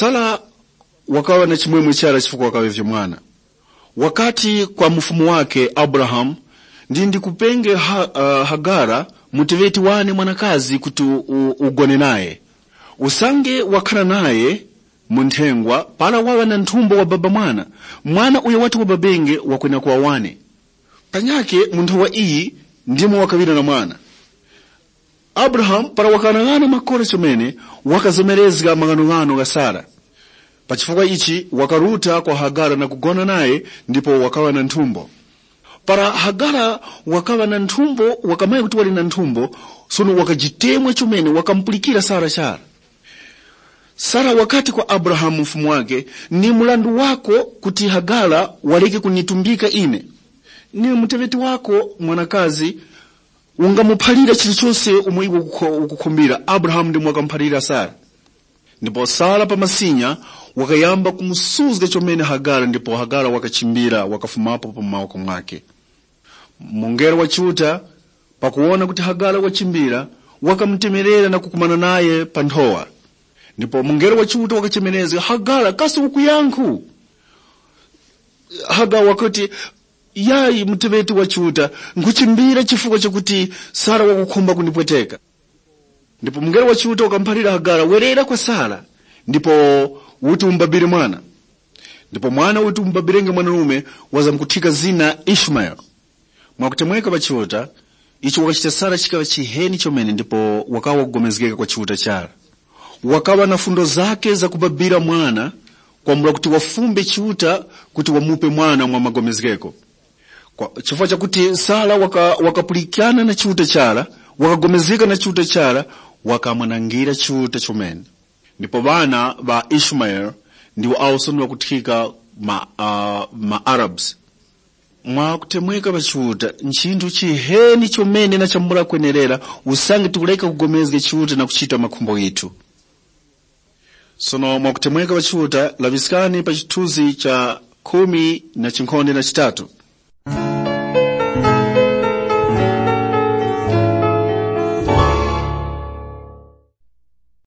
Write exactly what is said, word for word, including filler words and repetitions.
Sara wakaŵa na chimwemwe chara chifukwa wakaŵavye mwana. Wakati kwa mufumu wake Abrahamu, ndi ndikupenge ha, uh, Hagara, muteŵeti wane mwanakazi kuti u- ugone naye. Usange wakhara naye mu nthengwa, para waŵa na nthumbo wababa mwana, mwana uyo wati wababenge wakwena kuŵa wane. Panyakhe mu nthowa iyi ndimo wakaŵira na mwana. Abrahamu para wakaghanaghana makora chomene, wakazomerezga maghanoghano gha Sara. Pa chifukwa ichi wakaruta kwa Hagara na kugona naye, ndipo wakaŵa na nthumbo. Para Hagara wakaŵa na nthumbo, wakamanya kuti wali na nthumbo, sono wakajitemwa chomene, wakamupulikira Sara chara. Sara wakati kwa Abrahamu mfumu wake, ni mrandu wako kuti Hagara wareke kunitumbika ine. Ni muteŵeti wako mwanakazi ungamuphalira chilichose umo iwe ukukho- ukukhumbira. Abrahamu ndimo wakamuphalira Sara. Ndipo Sara pa masinya wakayamba kumusuzga chomene Hagara, ndipo Hagara wakachimbira, wakafumapo pa mawoko mwake. Mungelo wa Chiuta, pakuwona kuti Hagara wachimbira, wakamutemerera na kukumana naye pa nthowa. Ndipo mungelo wa Chiuta wakachemerezga, Hagara, kasi ukuyankhu? Hagara wakuti, yayi, muteŵeti wa Chiuta, nkhuchimbira chifukwa chakuti Sara wakukhumba kundipweteka. Ndipo mungelo wa Chiuta wakamuphalira Hagara, werera kwa Sara, ndipo uti umubabire mwana. Ndipo mwana uti umubabirenge mwanarume wazamkuthika zina Ishumaele. Mwakutemweka pa Chiuta, icho wakachita Sara chikaŵa chiheni chomene ndipo wakawa kugomezgeka kwa Chiuta chara. Wakaŵa na fundo zake zakubabira mwana, kwambula kuti wafumbe Chiuta kuti wamupe mwana mwa magomezgeko. Kwa chifukwa chakuti Sara waka, wakapulikana na Chiuta chara, wakagomezgeka na Chiuta chara, wakamwanangira Chiuta chomene. Ndipo ŵana ŵa Ishumaele ndiwo awo sono ŵakuthika ma, uh, ma Arabs. Mwa kutemweka pa Chiuta, nchinthu chiheni chomene na chambula kwenerera usange tikureka kugomezga Chiuta na kuchita makhumbo ghithu. Sono mwa kutemweka pa Chiuta, laŵiskani pa chithunzi cha khumi na chinkhonde na chitatu.